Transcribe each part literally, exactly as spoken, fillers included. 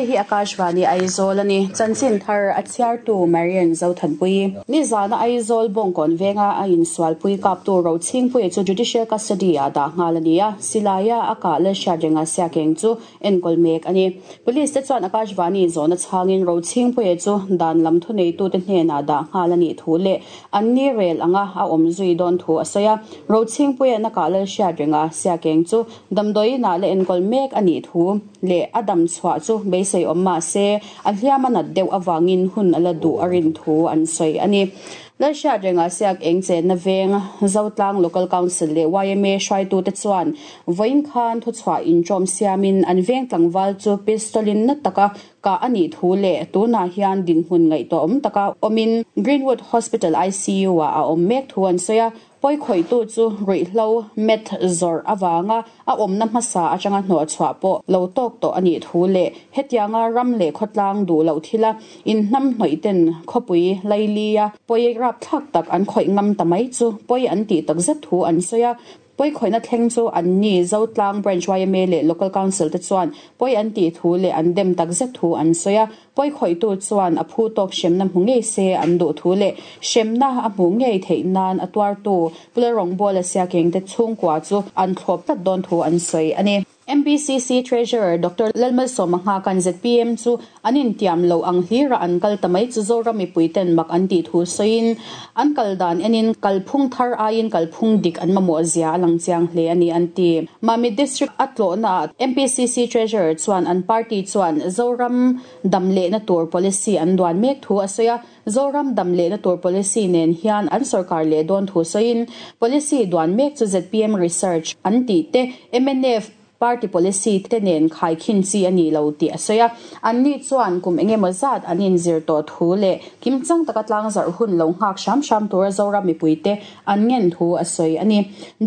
Hei hi Akashvani Aizawl ani chanchin thar a chhiartu Marian Zothanpui ni zana Aizawl bawngkawn venga a insualpui kaptu Rochhingpuia chu judicial custody a dah nghal ania silaia a kah Lalhriatrenga siakeng chu enkawl mek ani police te chuan Akashvani zawna chhangin Rochhingpuia chu dan lam thu neitu te hnenah dah nghal ani thu leh an ni rel anga a awm zui dawn thu a sawi a Rochhingpuia na kah Lalhriatrenga siakeng chu damdawiinah la enkawl mek ani thu leh a dam chhuah chu beisei awm mah se a hliam a nat deuh awangin hun ala duh a rin thu an sawi ani Lalhriatrenga siak eng chenna veng Zotlang Local Council leh Y M A hruaitu te chuan vawiin khan thu chhuah intawm siamin an veng tlangval chu pistolin na taka ka ani thu leh tunah hian dinhmun ngaihtuah awm taka awmin Greenwood Hospital I C U ah a awm mek thu an sawi a poi khoitu chu ruihhlo meth zawrh awanga a awmna hmasa atanga hnawh chhuah pawh lo tawk tawh ani thu leh hetianga ram leh khawtlang duh loh thila in hnam hnawih ten khawpui lailia poi rap thlak tak an khawih ngam ta mai chu poi an tih tak zet thu an sawi a poi khoina thleng chu an ni Zotlang Branch Y M A leh Local Council te chuan poi an tih thu leh an dem tak zet thu an sawi a poi khoitu chuan a phu tawk hremna hmu ngei se an duh thu leh hremna a hmu ngei theih nan a tuartu Pularong Bawla siakeng te chhungkua chu an thlawp tlat dawn thu an sawi ani. M P C C Treasurer Doctor Lalmalsawma kan Z P M chu an intiam lo ang hlira an kal tamai chu Zoram mipuiten mak an tih thu sawiin an kal dan enin kalphung thar aiin kalphung dik an mamawh zia a lang chiang hle ani an ti. Mami District a tlawhna M P C C Treasurer chuan an party chuan Zoram dam lehna tur policy an duan mek thu a sawi a Zoram dam lehna tur policy nen hian an sarkar leh dawn thu sawiin policy duan mek chu Z P M Research an tih te M N F party policy te nen khai khin chi ani lo ti a sawi a an ni chuan kum engemaw zat an inzir tawh thu leh kimchang taka tlang zarh hun lo nghak hram hram tura Zoram mipuite an ngen thu a sawi ani.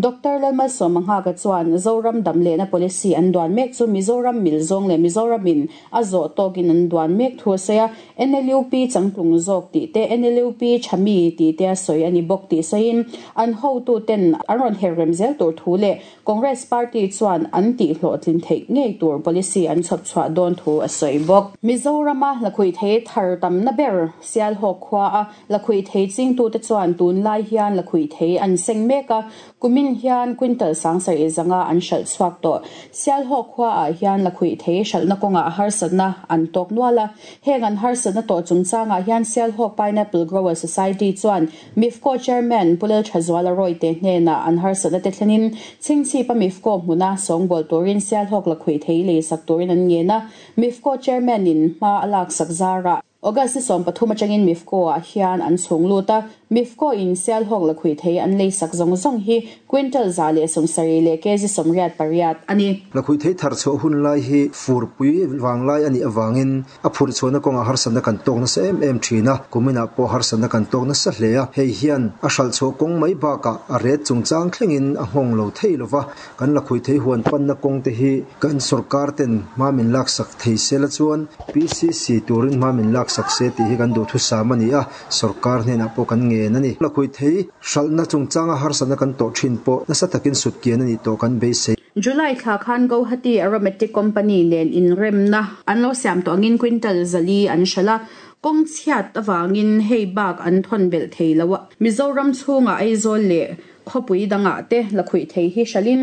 Doctor Lalmalsawma Nghaka chuan Zoram dam lehna policy an duan mek chu Mizoram mil zawng leh Mizoramin a zawh tawkin an duan mek thu a sawi a N L U P changtlung zawk tih te N L U P thami tih te a sawi ani bawk tih sawiin an hotu ten an rawn her rem zel tur thu leh Congress Party chuan an tih hlawhtlin theih ngei tur policy an chhawp chhuah dawn thu a sawi bawk. Mizorama lakhuih thei thar tamna ber Sialhawk khua a lakhuih thei chingtu te chuan tun lai hian lakhuih thei an seng mek a kumin hian quintal sangsarih zanga an hralh chhuak tawh. Sialhawk khua ah hian lakhuih thei hralhna kawngah harsatna an tawk nual a heng an harsatna tawh chungchangah hian Sialhawk Pineapple Grower Society chuan MIFCO Chairman Pulel Thazuala Roy te hnenah an harsatna te thlenin chingchhipa MIFCO hmuna sawngbawl turin Sialhawk lakhuih thei lei sak turin an ngen a MIFCO Chairman in hma a lak sak zara August ni sawm pathum atangin MIFCO ah hian an chhung lut a MIFCO in Sialhawk lakhuih thei an lei sak zawng zawng hi quintal za leh sawmsarih leh kg sawmriat pariat ani. Lakhuih thei thar chhuah hun lai hi furpui wanglai ani awangin a phur chhuahna kawnga harsatna kan tawk nasa em em thin a kuminah pawh harsatna kan tawk nasa hle a hei hian a hralh chhuah kawng mai bakah a ret chungchang thlengin a nghawng lo thei lova kan lakhuih thei huan panna kawng te hi kan sarkar ten hma min lak sak thei sela chuan P C C turin hma min lak sak se tih hi kan duh thu sam ani a sarkar hnenah pawh kan ngen ani lakhuih thei hralhna chungchanga harsatna kan tawh thin pawh nasa takin sut kian ani tawh kan beisei. July thla khan Guwahati Aromatic Company nen inremna an lo siam tawh angin quintal zali an hralh a kawng chhiat awangin hei bak an thawn belh thei lo a Mizoram chhunga Aizawl leh khawpui dangah te lakhuih thei hi hralhin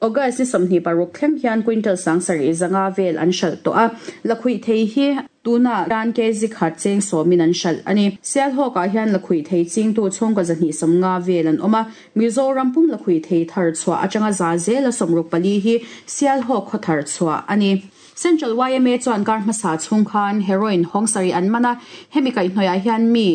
August ni sawmhnih paruk thleng hian quintal sangsarih zanga vel an hralh tawh a lakhuih thei hi tuna tan kg khat cheng sawmin an hralh ani. Sialhawkah hian lakhuih thei chingtu chhungkaw zahnih sawmnga vel an awm a Mizoram pum lakhuih thei thar chhuah atanga za zel a sawmruk pali hi Sialhawk khaw thar chhuah ani. Central Y M A chuan kar hmasa chhung khan heroin hawngsarih an man a hemi kaihhnawih hian mi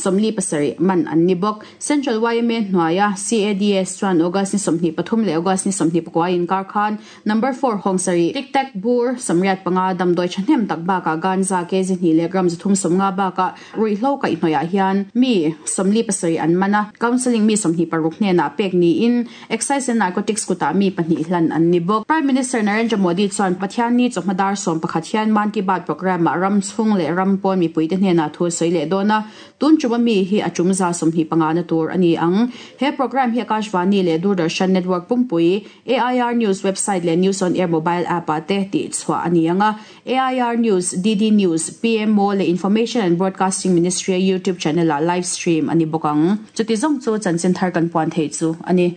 sawmli pasarih man an ni bawk. Central Y M A hnuaia C A D S chuan August ni sawmhnih pathum leh August ni sawmhnih pakua inkar khan number four hawngsarih tic tac bur sawmriat panga damdawi thahnem tak bakah ganja kg hnih leh gram zathum sawmnga bakah ruihhlo kaihhnawih hian mi sawmli pasarih an man a counselling mi sawmhnih paruk hnenah pek niin Excise and Narcotics kutah mi pahnih hlan an ni bawk. Prime Minister Narendra Modi chuan Pathian ni chawhma chawhma dar sawm pakhat hian Mann Ki Baat programme ah ram chhung leh ram pawn mipuite hnenah thu a sawi leh dawn a, tun tum ami hi a tum za sawmhnih panga na tur a ni ang. He programme hi Akashvani leh Doordarshan network pumpui, A I R News website leh News on Air mobile app ah te tih chhuah a ni ang a, A I R News, D D News, P M O leh Information and Broadcasting Ministry YouTube channel ah live stream a ni bawk ang. Chuti zawng chu chanchin thar kan puan theih chu a ni.